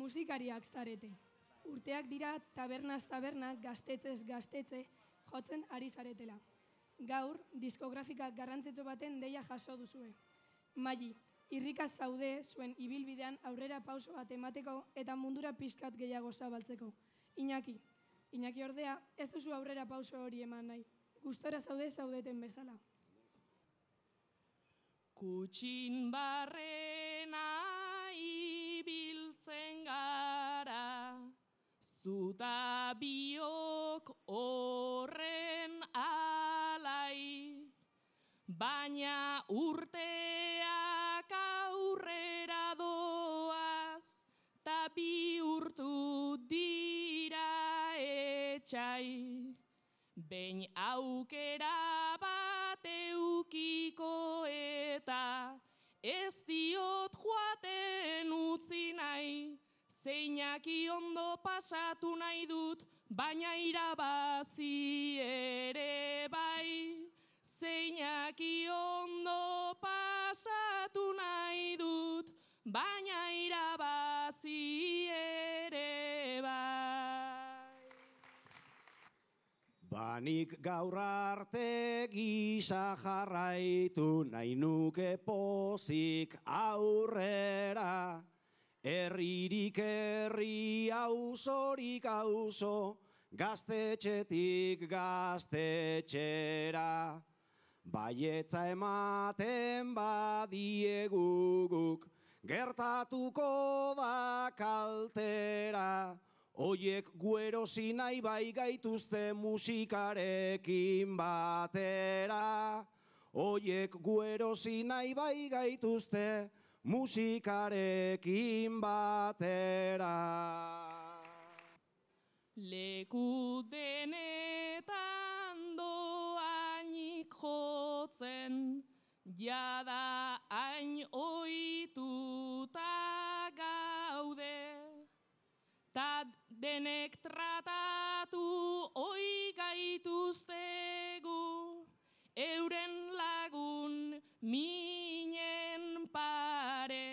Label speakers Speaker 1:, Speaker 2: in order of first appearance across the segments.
Speaker 1: musikariak zarete. Urteak dira tabernaz taberna, gaztetzez gaztetze, jotzen ari zaretela. Gaur, diskografika garrantzitsu baten deia jaso duzue. Maili, irrikaz zaude zuen ibilbidean aurrera pauso bat emateko eta mundura pixkat gehiago zabaltzeko. Iñaki ordea, ez duzu aurrera pauso hori eman nahi. Gustora zaudeten bezala.
Speaker 2: Kutxin barrena ibiltzen gara, zuta biok horren alai, baina urteak aurrera doaz, ta bihurtu dira etxai. Behin aukera bat eukiko eta ez diot joaten utzi nahi, zeinaki ondo pasatu nahi dut, baina irabazi ere bai. Zeinaki ondo pasatu nahi dut, baina irabazi ere bai.
Speaker 3: Banik gaur arte gisa jarraitu nahi nuke pozik aurrera, herririk herri auzorik auzo, gaztetxetik gaztetxera. Baietza ematen badieguguk, gertatuko da kaltera. Oiek guerosi nahi bai gaituzte musikarekin batera. Oiek guerosi nahi bai gaituzte musikarekin batera.
Speaker 2: Leku denetan doainik jotzen, jada hain ohituta gaude. Ta denek tratatu oi gaituztegu, euren lagun minen pare.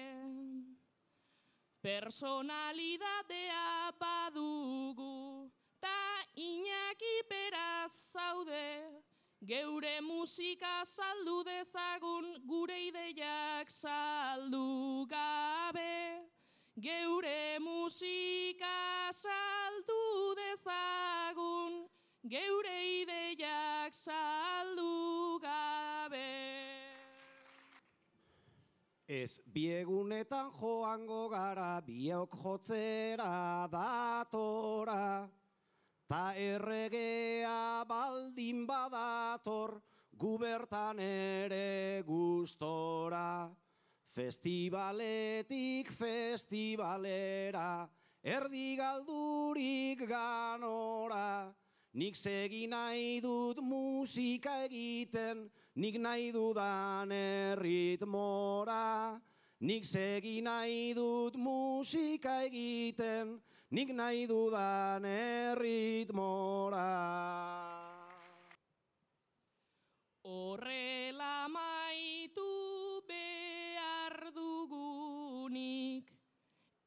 Speaker 2: Personalidadea badugu, ta Iñaki beraz zaude, geure musika saldu dezagun, gure ideiak saldu gabe. Geure musika saldu dezagun, geure ideiak saldu gabe.
Speaker 3: Ez biegunetan joango gara, biok jotzera datora, ta erregea baldin badator, gubertan ere gustora. Festivaletik festivalera, erdi galdurik ganora. Nik segi nahi dut musika egiten, nik nahi dudan erritmora. Nik segi nahi dut musika egiten, nik nahi dudan erritmora.
Speaker 2: Horrela maitu behar dugunik,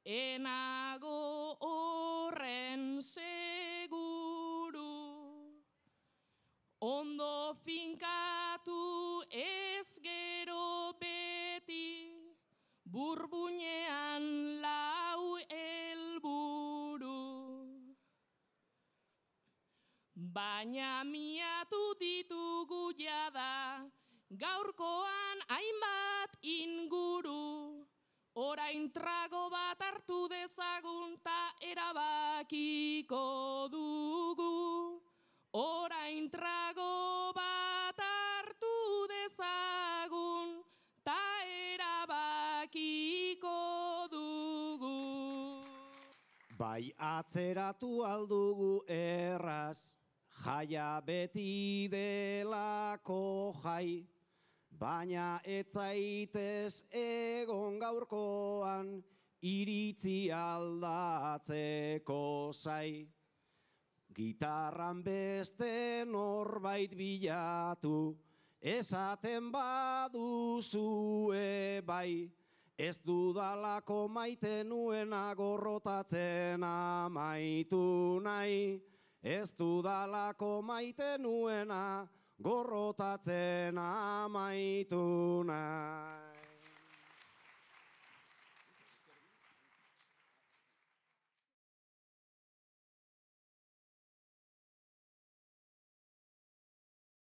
Speaker 2: enago horren seguru. Ondo finkatu ez gero beti, burbuinean lau helburu. Baina miatu ditugu jada, gaurkoan hainbat inguru. Orain trago bat hartu dezagun ta erabakiko dugu. Orain trago bat hartu dezagun ta erabakiko dugu.
Speaker 3: Bai atzeratu aldugu erraz, jaia beti delako jai, baina etzaitez egon gaurkoan iritzi aldatzeko zai. Gitarran beste norbait bilatu, esaten baduzue bai, Ez dudalako maite nuena gorrotatzen amaitu nahi. Ez dudalako maite nuena gorrotatzen amaitu nahi.